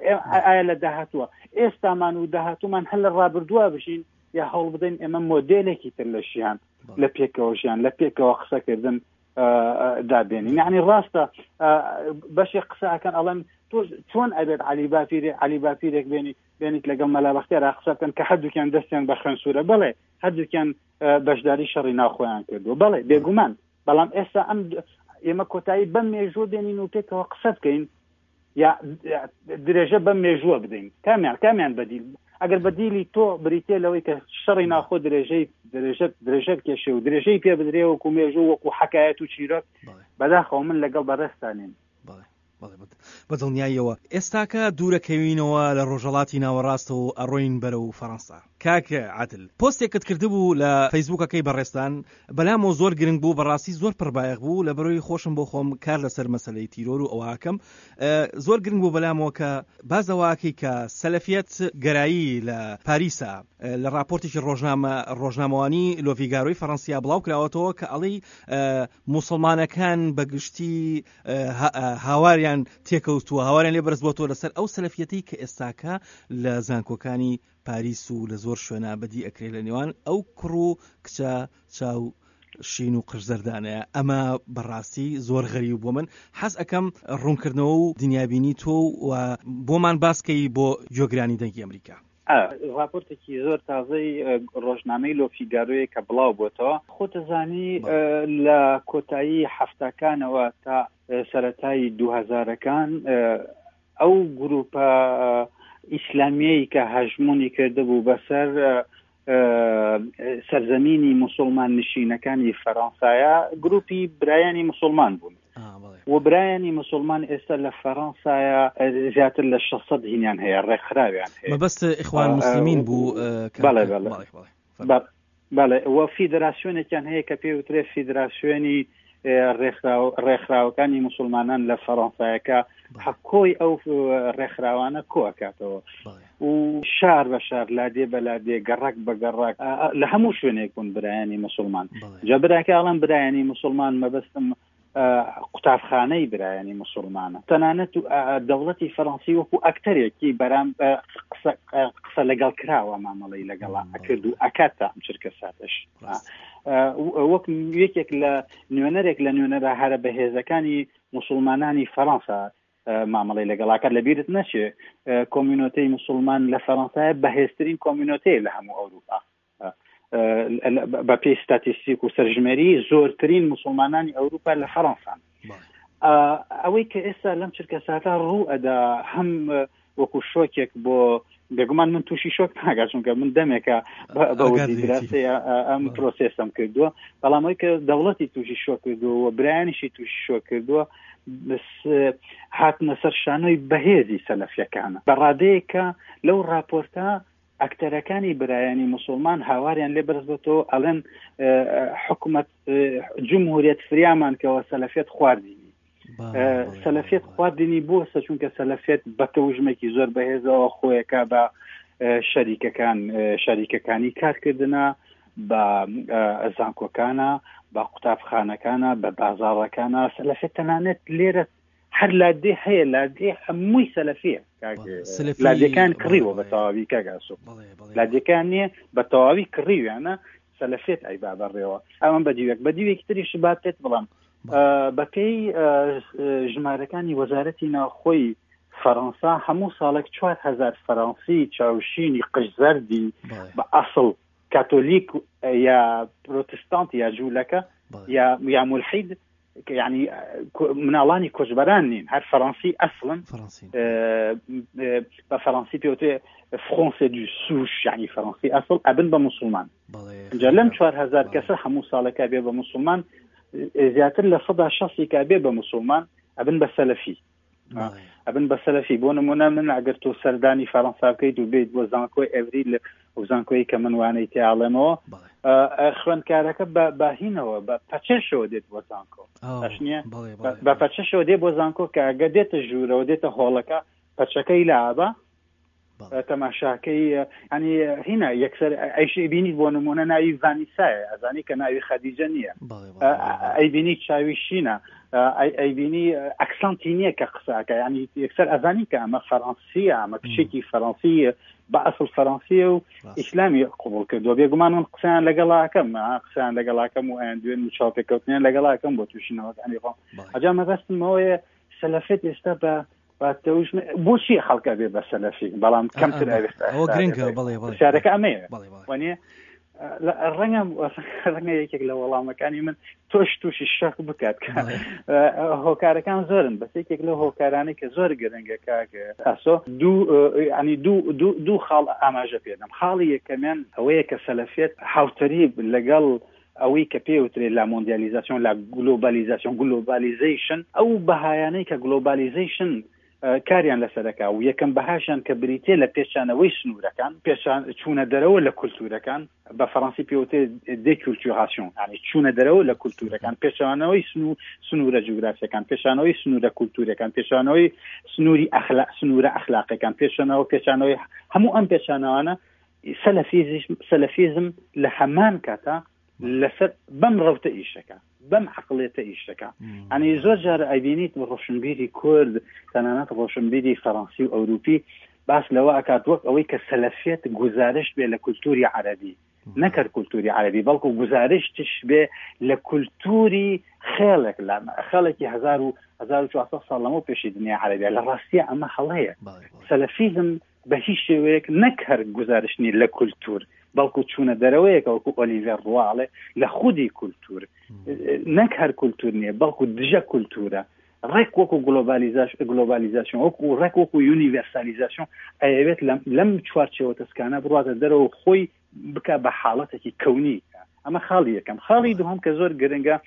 S2: ئایا لە داهاتووە ئێستامان و داهاتوومان هەر لە ڕابردووە بژین یا هەوڵ بدەین ئێمە مۆدێلێکی تر لە ژیان، لە پێکەوە ژیان، لە پێکەوە قسەکردن دابێنین؟ یعنی ڕاستە بەشێک قسەکەن ئەڵێن تۆ چۆن ئەبێت عەلی باپیرێ عەلی باپیرێک بێنی بێنیت لەگەڵ مەلا بەختیارا قسە بکەن کە هەردووکیان دەستیان بە خوێن سوورە؟ بەڵێ هەردووکیان بەشداری شەڕی ناوخۆیان کردووە، بەڵێ بێگومان، بەڵام ئێستا ئەم ئێمە کۆتایی بەم مێژوو بێنین و پێکەوە قسە بکەین یا درێژە بەم مێژووە بدەین؟ کامیان کامیان بەدیل؟ ئەگەر بەدیلی تۆ بریتێ لەوەی کە شەڕی ناخۆ درێژەی درێژە درێژە بکێشێ و درێژەی پێ بدرێ وەکو مێژوو وەکو حەکایەت و چیرۆک، بەداخەوە من لەگەڵ بەڕێزتانین.
S1: بە دڵنیاییەوە ئێستاکە دوورەکەوینەوە لە ڕۆژهەڵاتی ناوەڕاستەوە ئەڕۆین بەرەو فەڕەنسا. کاک عادل پۆستێکت کردبوو لە فەیسبوکەکەی بەڕێستان، بەلامەوە زۆر گرنگ بوو، بەڕاستی زۆر پڕبایەخ بوو، لە بەرەوەی خۆشم بۆ خۆم کار لەسەر مەسلەی تیرۆر و ئەوهاکەم زۆر گرنگ بوو بەلامەوە کە بازەواکەی کە سەلەفیەت گەرایی لە پاریسا لە راپۆرتێکی ڕۆژنامە ڕۆژنامەوانی لۆفیگارۆی فەڕەنسیا بڵاو کراوەتەوە کە ئەڵێی موسڵمانەکان بەگشتی هاواریان تێکەوتووە، هاواریان لێ بەرز بۆتەوە لەسەر ئەو سەلەفیەتەی کە ئێستاکە لە زانکۆکانی پاریس و لە زۆر شوێنە بەدی ئەکرێ لە نێوان ئەو کوڕ و کچە چاو شین و قژزەردانەیە. ئەمە بەڕاستی زۆر غەریب بۆ من. حەز ئەەکەم ڕوونکردنەوە و دنیابینی تۆ و بۆمان باسکەی بۆ گوێگرانی دەنگی ئەمریکا.
S2: راپۆرتێکی زۆر تازەی ڕۆژنامەی لۆفیگارۆیە کە بڵاو بۆتەوە. خۆتەزانی لە کۆتایی هەفتاکانەوە تا سەرەتای دوو هەزارەکان ئەو گروپە ئیسلامیەی کە هەژمونی کردبوو بەسەر سەرزەمینی موسڵمان نشینەکانی فەرەنسایە گروپی برایانی موسڵمان بوون. و برایانی موسڵمان ئێستا لە فەرەنسایە زیاتر لە شەش سەد هینیان هەیە، ڕێکخراویان هەیە.
S1: مەبەست ئیخوان موسلمین بوو؟
S2: بەڵێ بەڵێ بەڵێ. و فیدراسیۆنێکیان هەیە کە پێوترێ فیدراسیۆنی ڕێکخراوەکانی موسڵمانان لە فەرەنسایەکە، حەکۆی ئەو ڕێکخراوانە کۆئەکاتەوە و شار بە شار، لادێ بە لادێ، گەڕەک بە گەڕەک، لە هەموو شوێنێک بوون برایانی موسڵمان. جا براکە ئەڵێم برایانی موسڵمان مەبەستم قوتابخانەی برایانی موسڵمانە. تەنانەت دەوڵەتی فەرەنسی وەکو ئەکتەرێکی بەرام قسە لەگەڵ کراوە مامەڵەی لەگەڵا ئەکرد و ئەکات تا ئەم چرکە ساتەش. وەک یەکێک لە نوێنەرێک لە نوێنەرە هەرە بەهێزەکانی موسڵمانانی فەرەنسا مامەڵەی لەگەڵاکات. لەبیرت نەچێ communauté ی موسڵمان لە فەرەنسایە بەهێزترین communauté لە هەموو ئەوروپا. بە پێی ستاتیستیک و سەرژمێری زۆرترین موسڵمانانی ئەوروپا لە فەرەنسان. ئەوەی کە ئێستا لەم چرکە ساتە ڕوو ئەدا هەم وەکو شۆکێک بۆ بێگومان من تووشی شۆک ناگات، چونکە من دەمێکە بە ئەم پرۆسێسم کردووە، بەڵام ئەوەی کە دەوڵەتی تووشی شۆک کردووە و برایانیشی تووشی شۆک کردووە هاتنە سەر شانۆی بەهێزی سەلەفیەکانە بە ڕادەیەکە لەو راپۆرتە ئەکتەرەکانی برایانی موسڵمان هاواریان لێ بەرز بۆتەوە، ئەڵێن حکومەت جمهوریەت فریامان کەوە سەلەفیەت خواردینی. سەلەفیەت خواردنی بۆسە چونکە سەلەفیەت بە تەوژمێکی زۆر بەهێزەوە خۆیەکە بە شەریکەکان، شەریکەکانی کارکردنە، بە زانکۆکانە، بە قوتابخانەکانە، بە بازاڕەکانە. سەلەفیەت تەنانەت لێرە هەر لادێ هەیە، لادێ هەمووی سەلەفیە. لادێکان کڕیوە بە تەواوی کاگاسۆ، لادێکان نییە بە تەواوی کڕیویانە، سەلەفیەت ئەیبا بەڕێوە. ئەمە بەدیوێک بەدیوێکی تریش با پێت بڵام بەپێی ژمارەکانی وەزارەتی ناوخۆی فەرەنسا هەموو ساڵێک چوار هەزار فەرەنسی چاوشینی قژزەردی بە ئەسڵ کاتۆلیک یا پرۆتستانت یا جوولەکە یا یا مولحید، یعنی مناڵانی کۆچبەران نین، هەر فەرەنسی ئەسڵن، بە فەرەنسی پێوتێ Français de souche، یعنی فەرەنسی ئەسڵ ئەبن بە موسڵمان. اینجا لەم چوار هەزار کەسە هەموو ساڵێکە بێ بە موسڵمان، زیاتر لە سەدا شەستی کە بێ بە موسڵمان ئەبن بە سەلەفی. ئەبن بە سەلەفی. بۆ نمونە من ئەگەر تۆ سەردانی فەرەنسا بکەیت و بێیت بۆ زانکۆی ئەڤریل و زانکۆی کە من وانەی تیاڵێمەوە، خوێندکارەکە بە هینەوە بە پەچەشەوە دێت بۆ زانکۆ، باش نییە؟ بە پەچەشەوە دێت بۆ زانکۆ کە ئەگەر دێتە ژوورەوە دێتە هۆڵەکە پەچەکەی لابە تەماشاکەی، ینی هینا یەکسەر ئەیش بینیت بۆ نمونە ناوی ڤانیسایە، ئەزانی کە ناوی خەدیجە نییە، ئەیبینی چاوی شینە، ئەیبینی accent ی نییە کە قساکە، ینی یەکسەر ئەزانی کە ئەمە فەرەنسیە، ئەمە کچێکی فەرەنسیە بە ئەسڵ فەرەنسیە و ئیسلامی قبوڵ کردووە. بێگومان من قسەیان لەگەڵاکەم، قسەیان لەگەڵاکەم و ئەیان دوێن و چاوپێکەوتنیان لەگەڵاکەم بۆ تووشینەوەکانی خۆم. ئەجا مەبەستمەوەیە سەلەفیەت ئێستا بە بۆچی خەڵکە بێ بە سەلەفی، بەڵام کەمتر
S1: ئەوە گرنگە. بەڵێ بەڵێ
S2: پرسیارەکە ئەمەیە، وانییە؟ ڕەنگە ڕەنگە یەکێک لە وەڵامەکانی من تۆش تووشی شەک بکات کە هۆکارەکان زۆرن، بەس یەکێک لەو هۆکارانەی کە زۆر گرنگە کاک ئاسۆ دوو ینی دوو دوو دوو خاڵ ئاماژە پێدەم. خاڵی یەکەمیان ئەوەیە کە سەلەفیەت هاوتەریب لەگەڵ ئەوەی کە پێوترێ la mondialisation، la globalisation، globalization، ئەو بەهایانەی کە globalization کاریان لەسەرەکە و یەکەم بەهاشیان کە بریتێ لە پێچانەوەی سنوورەکان، پێچان چوونە دەرەوە لە کولتوورەکان، بە فەڕەنسی پێوتێ déculturation، یعنی چوونە دەرەوە لە کولتوورەکان، پێچانەوەی سنوورە جوگرافیەکان، پێچانەوەی سنوورە کولتوورەکان، پێچانەوەی سنووری ئەخلاق، سنوورە ئەخلاقەکان، پێچانەوە پێچانەوەی هەموو ئەم پێچانەوانە سەلەفیزم لە هەمان کاتا لەسەر بەم ڕەوتە ئیشەکە، بەم عقلێتە ئیشەکە. ئەنی زۆر جار ئەیبینیت ڕۆشنبیری کورد، تەنانەت ڕۆشنبیری فەڕەنسی و ئەوروپی باس لەوە ئەکات وەک ئەوەی کە سەلەفیەت گوزارشت بێ لە کولتوری عەرەبی، نەکرد کولتوری عەرەبی بەڵکو گوزارشتش بێ لە کولتوری خێڵێک، لە خێڵێکی هەزار و هەزار و چوارسەد ساڵ لەمەو پێشی دنیا عەرەبیە. لە ڕاستیە ئەمە هەڵەیە. سەلەفیزم بە هیچ شێوەیەک نەک هەر گوزارشت نییە لە کولتور، بەڵکو چوونە دەرەوەیەکە وەکو ئۆلیڤێر ڕواڵێ لە خودی کولتور، نەک هەر کولتور نییە بەڵکو دژە کولتورە، ڕێک وەکو globalisation، وەکو ڕێک وەکو universalisation ئەیەوێت لەم چوارچێوە تەسکانە بڕواتە دەرەوە خۆی بکە بە حاڵەتێکی کەونی. ئەمە خاڵی یەکەم. خاڵی دووهەم کە زۆر گرنگە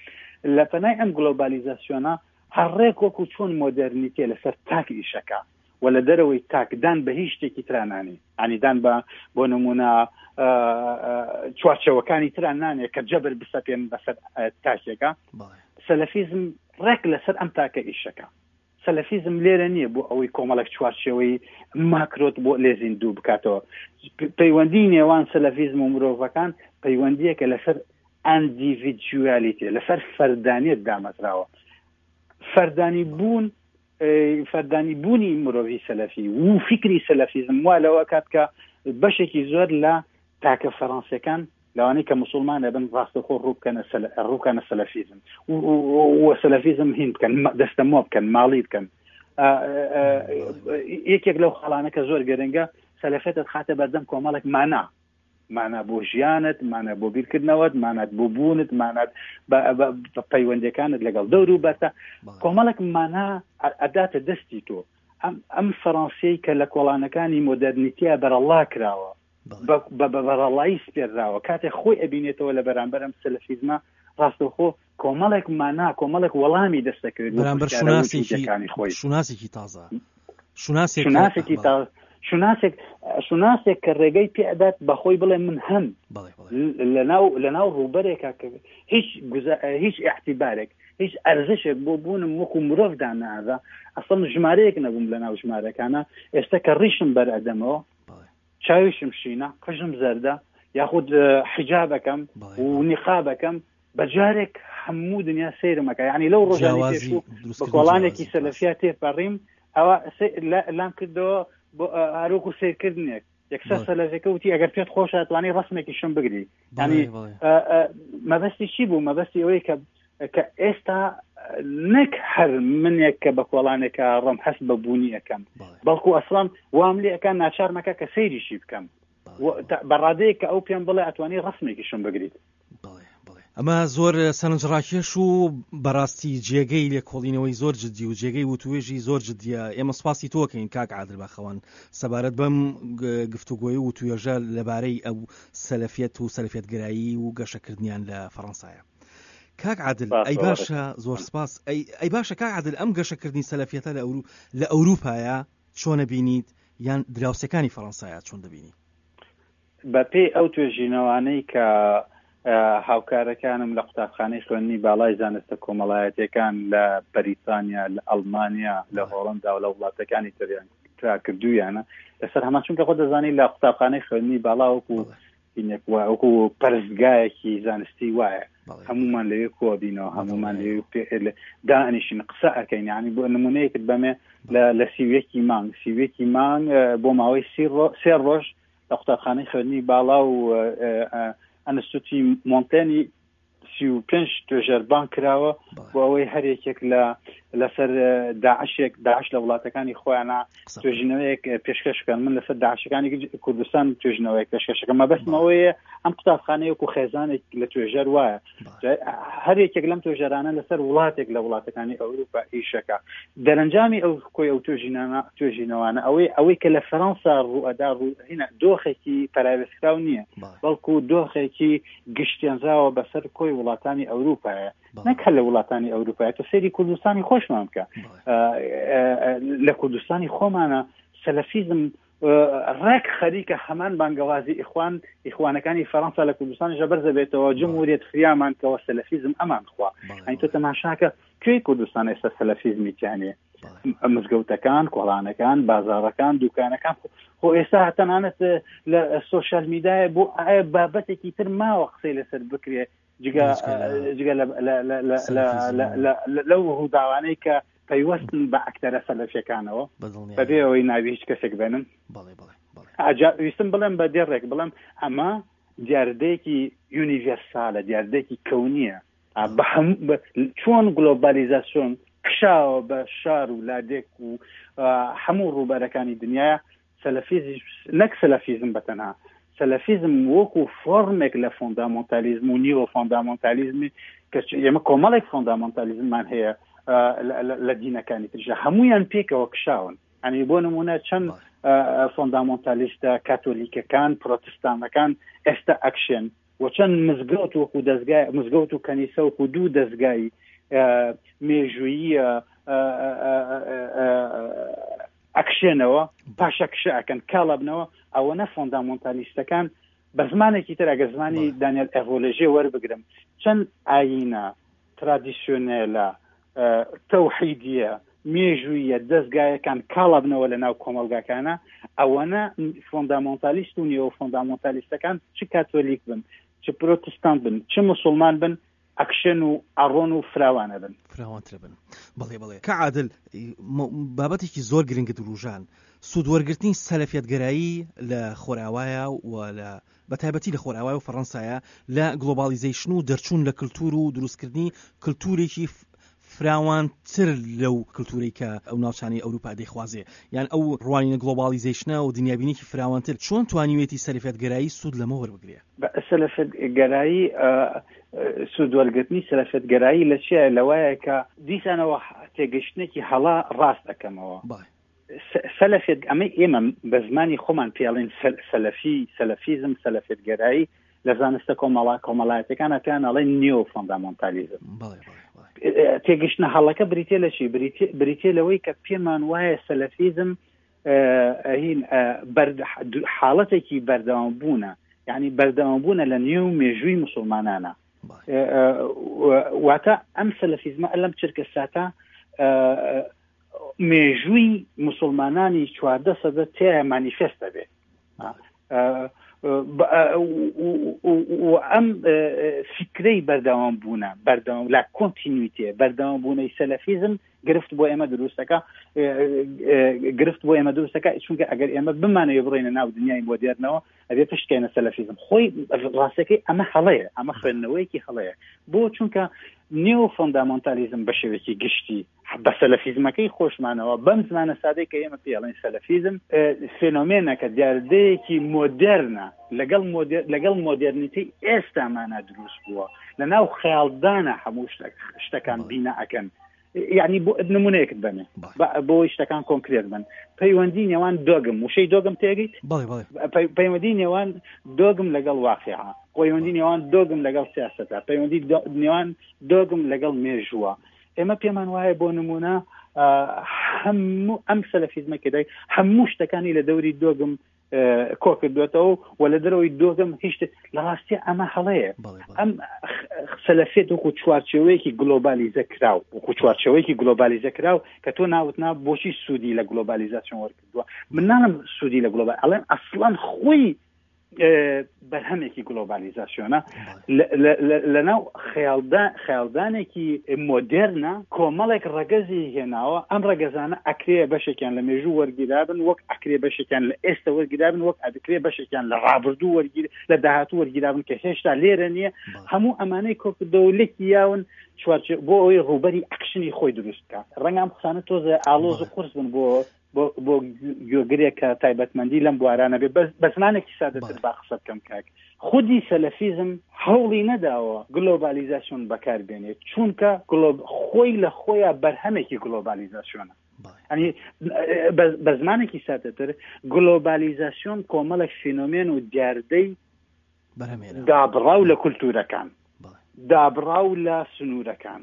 S2: لە پەنای ئەم گلۆبالیزاسیۆنە هەرڕێک وەکو چۆن مۆدێرنیتێ لەسەر تاک ئیشەکە و لە دەرەوەی تاکدان بە هیچ شتێکی ترانانی، ئەنیدان بە بۆ نمونە چوارچەوەکانی تران نانێ کە جەبر بسەپێن بەسەر تاکێکە. سەلەفیزم ڕێک لەسەر ئەم تاکە ئیشەکە. سەلەفیزم لێرە نییە بۆ ئەوەی کۆمەڵێک چوارچێوەی ماکرۆت بۆ لێ زیندوو بکاتەوە. پەیوەندی نێوان سەلەفیزم و مرۆڤەکان پەیوەندیەکە لەسەر ئەندیڤیدوالێتی، لەسەر فەردانیت دامەزراوە. فەردانی بوون، فەردانی بوونی مرۆڤی سەلەفی و فیکری سەلەفیزم وا لەوە کات کە بەشێکی زۆر لە تاکە فەرەنسیەکان لەوانەی کە مسلمان ئەبن ڕاستەوخۆ ڕووبکەنە سەلەفیزم و سەلەفیزم هین بکەن، دەستەمۆ بکەن، ماڵی بکەن. یەکێک لەو خاڵانە کە زۆر گرنگە، سەلەفیەتت خاتە بەردەم کۆمەڵێک مانا، مانا بۆ ژیانت، مانا بۆ بیرکردنەوەت، مانات بۆ بوونت، مانات بە پەیوەندیەکانت لەگەڵ دەور و بەرتە، کۆمەڵێک مانا ئەداتە دەستی تۆ. ئەم فەرەنسیەی کە لە کۆڵانەکانی مۆدێرنیتیا بەرەڵا کراوە، بە بەرەڵایی سپێردراوە، کاتێک خۆی ئەبینێتەوە لە بەرامبەر ئەم سەلەفیزمە ڕاستەوخۆ کۆمەڵێک مانا، کۆمەڵێک وەڵامی دەستەکەوێت
S1: بەرامبەر
S2: شوناسێکی
S1: شوناسێکی تازە،
S2: شوناسێکی تازە، شوناسێک شوناسێک کە ڕێگەی پێدات بەخۆی بڵێ من هەم لەناو لەناو ڕووبەرێکە کە هیچ هیچ احتیبارێک، هیچ ئەرزشێک بۆ بوونم وەکو مرۆڤ دانادا، ئەسڵ ژمارەیەک نەبووم لەناو ژمارەکانە. ئێستا کە ڕیشم بەرئەدەمەوە، چاویشم شینە، قژم زەردە، یاخود حیجابەکەم و نیقابەکەم، بەجارێک هەموو دنیا سەیرمەکە. یعنی لەو ڕۆژانەی پێشوو بە کۆڵانێکی سەلەفیا تێپەڕیم، ئەوە لام کردەوە هەروەکو سەیرکردنێک. یەکسەر سەلەفیەکە وتی ئەگەر پێت خۆشە ئەتوانی ڕەسمێکیشم بگری. یعنی مەبەستی چی بوو؟ مەبەستی ئەوەی کە کە ئێستا نەک هەر منێک کە بە کۆڵانێکە ڕۆم هەست بە بوونی ئەەکەم، بەڵکو ئەسڵان وام لێ ئەەکان ناچارمەکە کە سەیریشی بکەم بەڕادەیە کە ئەو پێم بڵێ ئەتوانی ڕەسمێکیشم بگریت.
S1: ئەمە زۆر سەرنجڕاکێش و بەڕاستی جێگەی لێکۆڵینەوەی زۆر جدی و جێگەی وتوێژی زۆر جدیە. ئێمە سپاسی تۆکەین کاک عادل باخەوان سەبارەت بەم گفتوگۆی و وتوێژە لەبارەی ئەو سەلەفیەت و سەلەفیەتگەرایی و گەشەکردنیان لە فەڕەنسایە. کاک عادل، ئەی باشە، زۆر سپاس. ئەی باشە کاک عادل، ئەم گەشەکردنی سەلەفیەتە لە ئەوروپایە چۆن دەبینیت، یان دراوسێکانی فەڕەنسایە چۆن دەبینی؟
S2: بەپێی ئەو توێژینەوانەی کە هاوکارەکانم لە قوتابخانەی خوێندنی باڵای زانستە کۆمەڵایەتیەکان لە بەریتانیا، لە ئەڵمانیا، لە هۆڵندا و لە وڵاتەکانی تریان ترا کردویانە لەسەر هەمان، چونکە خۆ دەزانی لە قوتابخانەی خوێندنی باڵا وەکو وەکو پەرستگایەکی زانستی وایە، هەمومان لەوێ کۆبینەوە، هەمومان لەوێ دانیشین قسە ئەەکەین. یعنی بۆ نمونەیەکت بەمێ لە سیویەکی مانگ، سیویەکی مانگ بۆ ماوەی سێ ڕۆژ لە قوتابخانەی خوێندنی باڵا و ئەنستوتی مۆنتێنی سی و پێنج توێژەر بانگ کراوە بۆ ئەوەی هەر یەکێک لە لەسەر داعشێک، داعش لە وڵاتەکانی خۆیانە توێژینەوەیەک پێشکەش بکەن. من لەسەر داعشەکانی کوردستان توێژینەوەیەک پێشکەشەکەم. مەبەستمەوەیە ئەم قوتابخانەیە وەکو خێزانێک لە توێژەر وایە، هەر یەکێک لەم توێژەرانە لەسەر وڵاتێک لە وڵاتەکانی ئەوروپا ئیشەکە. دەرەنجامی ئەو کۆی ئەو توێژینەوانە ئەوەی ئەوەی کە لە فەرەنسا ڕوئەدا ڕوو دۆخێکی پەراوێزکراو نییە، بەڵکو دۆخێکی گشتێنراوە بەسەر کۆی وڵاتانی ئەوروپایە، نەک هەر لە وڵاتانی ئەوروپایە. تۆ سەیری کوردستانی خۆشمان بکە، لە کوردستانی خۆمانە سەلەفیزم ڕێک خەریکە هەمان بانگەوازی ئیخوان ئیخوانەکانی فەرەنسا لە کوردستان ژەبەر دەبێتەوە، جمهوریەت فریامان کەوە سەلەفیزم ئەمان خوا. ئەی تۆ تەماشاکە کوێی کوردستان ئێستا سەلەفیزمی تیانێ؟ مزگەوتەکان، کۆڵانەکان، بازاڕەکان، دوکانەکان. خۆ ئێستا تەنانەت لە سۆشیال میدیای بۆ بابەتێکی تر ماوە قسەی لەسەر بکرێ، جگە لەو ڕووداوانەی کە پەیوەستن بە ئەکتەرە سەلەفیەکانەوە بەبێ ئەوەی ناوی هیچ کەسێک بێنم. ویستم بڵێم بە دێڕێک بڵێم ئەمە دیاردەیەکی یونیڤێرسالە، دیاردەیەکی کەونیە. چۆن گلۆبالیزاسیۆن کشاوە بە شار و لادێک و هەموو ڕووبەرەکانی دنیاە، سەلەفیزم نەک سەلەفیزم بەتەنها، سەلەفیزم وەکو فۆرمێک لە فۆندامۆنتالیزم و نیوە فۆندامۆنتالیزمی کە ئێمە کۆمەڵێک فۆندامۆنتالیزممان هەیە لە دینەکانی ترژە، هەمویان پێکەوە کشاون. یعنی بۆ نمونە چەند فۆندامۆنتالیستە کاتۆلیکەکان، پرۆتستانەکان ئێستا ئەکشن و چەند مزگەوت وەکو دەستگای مزگەوت و کەنیسە وەکو دوو دەستگای مێژوویی ئەکشێنەوە، پاشەکشە ئەکەن، کاڵەبنەوە. ئەوەنە فۆندامۆنتالیستەکان بە زمانێکی تر ئەگەر زمانی دانیل ئەڤۆلێژێ وەربگرم، چەند ئاینە ترادیسیۆنێلە تەوحیدیە مێژوویە دەستگایەکان کاڵابنەوە لە ناو کۆمەلگاکانە، ئەوەنە فۆندامۆنتالیست و نیۆ فۆندامۆنتالیستەکان چ کاتۆلیک بن، چ پرۆتستانت بن، چ مسلمان بن، ئەکشن و ئەڕۆن و فراوانە بن،
S1: فراوانتر بن. بەڵێ بەڵێ کە عادل، بابەتێکی زۆر گرنگت وروژان، سوود وەرگرتنی سەلەفیەتگەرایی لە خۆراوایە و لە بە تایبەتی لە خۆراوای و فەڕەنسایە لە globalization و دەرچوون لە کللتور و دروستکردنی کللتورێکی فراوانتر لەو کللتورەی کە ئەو ناوچانەی ئەوروپا دەیخوازێ، یان ئەو ڕوانینە globalization ە و دنیابینێکی فراوانتر، چۆن توانیوێتی سەلەفیەتگەرایی سوود لەمە وەربگرێ؟
S2: سەلەفیەتگەرایی سوود وەرگرتنی سەلەفیەتگەرایی لە چییە؟ لەوایە کە دیسانەوە تێگەشتنێکی هەڵا ڕاست ئەەکەمەوە. سەلەفیەت ئەمە ئێمە بە زمانی خۆمان پێڵێن سەلەفی، سەلەفیزم، سەلەفیەتگەرایی لە زانستە کۆمەڵا کۆمەڵایەتەکانە پێیان ئەڵێن نیۆ فۆندامۆنتالیزم. تێگەشتنە هەڵەکە بریتێ لە چی؟ بریتێ لەوەی کە پێمان وایە سەلەفیزم هین حاڵەتێکی بەردەوام بوونە، یعنی بەردەوام بوونە لە نێو مێژووی مسلمانانە. واتە ئەم سەلەفیزمە لەم چرکە ساتە مێژووی مسلمانانی چواردە سەدە تێیە مانیفێستە بێ. و ئەم فکرەی بەردەوام بوونە، بەردەوام la continuité، بەردەوام بوونەی سەلەفیزم گرفت بۆ ئێمە دروستەکە، گرفت بۆ ئێمە دروستەکە، چونکە ئەگەر ئێمە بمانەوێ بڕۆینە ناو دنیای مۆدێرنەوە ئەبێ پشتکەینە سەلەفیزم. خۆی ڕاستەکەی ئەمە هەڵەیە، ئەمە خوێندنەوەیەکی هەڵەیە. بۆ چونکە نێو فۆندامۆنتالیزم بە شێوەیەکی گشتی بە سەلەفیزمەکەی خۆشمانەوە، بەم زمانە سادەی کە ئێمە پێڵێن سەلەفیزم، فێنۆمێنەکە دیاردەیەکی مۆدێرنە، لەگەڵ لەگەڵ مۆدێرنیتی ئێستامانە دروست بووە، لە ناو خەیاڵدانە هەموو شتەکان بینا ئەکەن. یعنی بۆ نمونەیەکت بەنێ بۆ شتەکان کۆنکرێت بن. پەیوەندی نێوان دۆگم، وشەی دۆگم تێگەیت؟ پەیوەندی نێوان دۆگم لەگەڵ واقیعە، پەیوەندی نێوان دۆگم لەگەڵ سیاسەتە، پەیوەندی نێوان دۆگم لەگەڵ مێژووە. ئێمە پێمان وایە بۆ نمونە هەموو ئەم سەلەفیزمە کە دای هەموو شتەکانی لە دەوری دۆگم کۆ کردوێتەوە و لە دەرەوەی دۆگم هیچ لە ڕاستی ئەمە هەڵەیە. ئەم سەلەفیەت وەکو چوارچێوەیەکی گلۆبالیزە کراو، وەکو چوارچێوەیەکی گلۆبالیزە کراو کە تۆ ناوت نا بۆچی سوودی لە گلۆبالیزاسیۆن وەرگرتووە. من ناڵم سوودی لە گلۆبال، ئەڵێم ئەسڵەن خۆی بەرهەمێکی گلۆبالیزاسیۆنە لەناو خەیاڵدانێکی مۆدێرنە کۆمەڵێک ڕەگەزی هێناوە. ئەم ڕەگەزانە ئەکرێ بەشێکیان لە مێژوو وەرگیرابن، وەک ئەکرێ بەشێکیان لە ئێستا وەرگیرابن، وەک ئەکرێ بەشێکیان لە ڕابردوو وەرگیر لە داهاتوو وەرگیرابن کە هێشتا لێرە نییە. هەموو ئەمانەی کۆکردەوە لێکی یاون چوارچێ بۆ ئەوەی ڕووبەری ئەکشنی خۆی دروست بکە. ڕەنگە ئەم قسانە تۆزێ ئاڵۆز و قورس بن بۆ بۆ گوێگرێک کە تایبەتمەندی لەم بوارانە بێ. بە زمانێکی سادەتر با قسە بکەم کاک، خودی سەلەفیزم هەوڵی نەداوە گلۆبالیزاسیۆن بەکاربێنێت، چونکە خۆی لە خۆیان بەرهەمێکی گلۆبالیزاسیۆنە. یعنی بە زمانێکی سادەتر گلۆبالیزاسیۆن کۆمەڵێک فینۆمێن و دیاردەی دابڕاو لە کولتورەکان، دابڕاو لە سنوورەکان،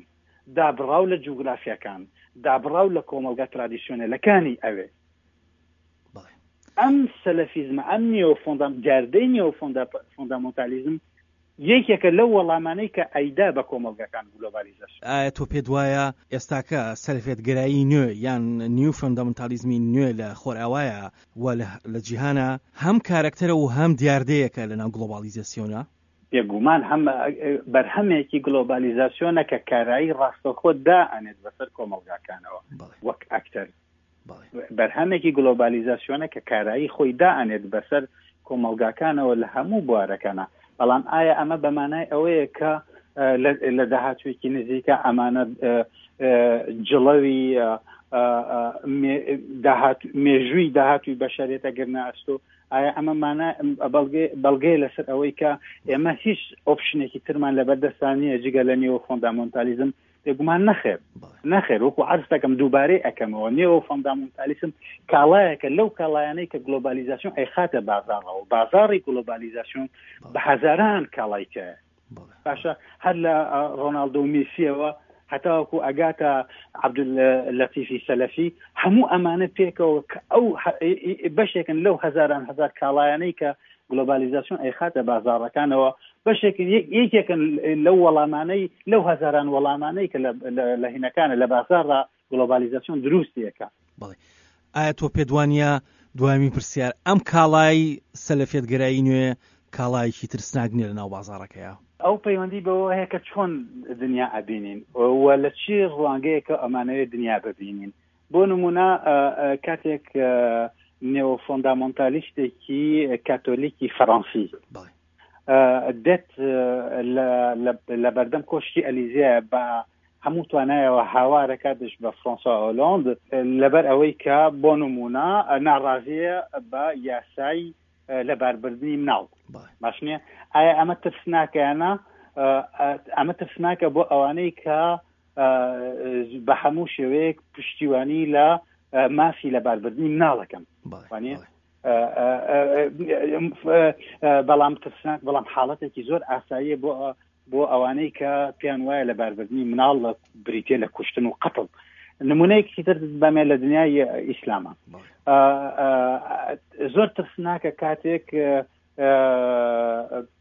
S2: دابڕاو لە جوگرافیاکان، دابڕاو لە کۆمەڵگا ترادیسیۆنەلەکانی ئەوێ. ئەم سەلەفیزمە، ئەم نیۆ فۆندام دیاردەی نیۆ فۆندامۆنتالیزم یەکێکە لەو وەڵامانەی کە ئەیدا بە کۆمەڵگاکان گلۆبالیزاسیۆن.
S1: ئایا تۆ پێت وایە ئێستاکە سەلەفیەتگەرایی نوێ یان نیو فۆندامنتالیزمی نوێ لە خۆرئاوایە و لە جیهانە هەم کارەکتەرە و هەم دیاردەیەکە لەناو گلۆبالیزاسیۆنە؟
S2: بێگومان هەم بەرهەمێکی گلۆبالیزاسیۆنە کە کارایی ڕاستەوخۆ دائەنێت بەسەر کۆمەڵگاکانەوە وەک ئەکتەر. بەرهەمێکی گلۆبالیزاسیۆنە کە کارایی خۆی دائەنێت بەسەر کۆمەڵگاکانەوە لە هەموو بوارەکانە. بەڵام ئایا ئەمە بەمانای ئەوەیە کە لە داهاتوویەکی نزیکە ئەمانە جڵەوی مێژووی داهاتووی بەشەرێتە گرنە ئەستۆ؟ ئایا ئەمە مانا بەڵگەیە لەسەر ئەوەی کە ئێمە هیچ ئۆپشنێکی ترمان لەبەردەستان نییە جگە لە نێو فۆندامۆنتالیزم؟ بێگومان نەخێر، نەخێر. وەکو عەرز دەکەم دووبارەی ئەکەمەوە، نێو فەندامونتالیسم کاڵایەکە لەو کاڵایانەی کە گلۆبالیزاسیۆن ئەیخاتە بازاڕەوە. بازاڕی گلۆبالیزاسیۆن بە هەزاران کاڵای تیایە. باشە، هەر لە ڕۆناڵدۆ و میسیەوە هەتاوەکو ئەگاتە عەبدوللەتیفی سەلەفی، هەموو ئەمانە پێکەوە کە ئەو بەشێکن لەو هەزاران هەزار کاڵایانەی کە گلۆبالیزاسیۆن ئەیخاتە بازاڕەکانەوە، بەشێکن یەکێکن لەو وەڵامانەی لەو هەزاران وەڵامانەی کە لە هینەکانە لە بازاڕدا گلۆبالیزاسیۆن دروستیەکە.
S1: بەڵێ، ئایا تۆ پێت وانییە، دوایین پرسیار، ئەم کاڵای سەلەفیەتگەرایی نوێ کاڵایەکی ترسناک نییە لەناو بازاڕەکەیە؟
S2: ئەو پەیوەندی بەوە هەیە کە چۆن دنیا ئەبینین و لە چی ڕوانگەیەکە ئەمانەوێت دنیا ببینین. بۆ نمونە کاتێک نێو فۆندامۆنتالیستێکی کاتۆلیکی فەڕەنسی دێت لە بەردەم کۆشکی ئەلیزیە بە هەموو توانایەوە هاوارەکە دژ بە فرانسوا ئۆلۆند لەبەر ئەوەی کە بۆ نمونە ناڕازیە بە یاسای لەباربردنی مناڵ، باش نییە؟ ئایا ئەمە ترسناکەیانە؟ ئەمە ترسناکە بۆ ئەوانەی کە بە هەموو شێوەیەک پشتیوانی لە مافی لەباربردنی مناڵەکەم، بەڵام ترسناک، بەڵام حاڵەتێکی زۆر ئاساییە بۆ بۆ ئەوانەی کە پێیان وایە لەباربردنی مناڵ لە بریتە لە کوشتن و قەتڵ. نمونەیەکی تر بەمێ لە دنیای ئیسلامە زۆر ترسناکە کاتێک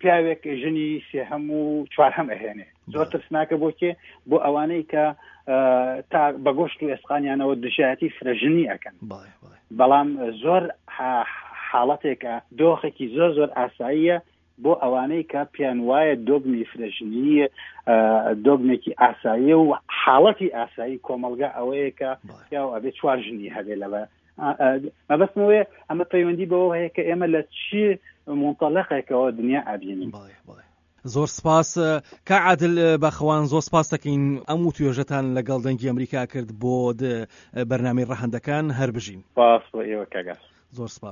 S2: پیاوێک ژنی سێهەم و چوارهەم ئەهێنێ. زۆر ترسناکە بۆ کێ؟ بۆ ئەوانەی کە تا بە گۆشت و ئێسقانیانەوە دژایەتی فرەژنی ئەکەن. بەڵام زۆر حاڵەتێکە، دۆخێکی زۆر زۆر ئاساییە بۆ ئەوانەی کە پێیان وایە دۆگمی فرەژنی دۆگمێکی ئاساییە و حاڵەتی ئاسایی کۆمەڵگا ئەوەیە کە پیاو ئەبێ چوار ژنی هەبێ. لەبە مەبەستمەوەیە ئەمە پەیوەندی بەوە هەیە کە ئێمە لە چی منطلقێکەوە دنیا ئەبینین.
S1: زۆر سپاس کا عادل باخەوان، زۆر سپاس دەکەین ئەم وتوێژەتان لەگەڵ دەنگی ئەمریکا کرد بۆ بەرنامەی ڕەهەندەکان. هەر بژین.
S2: سپاس بۆ ئێوە کاگاس.
S1: زۆر سپاس.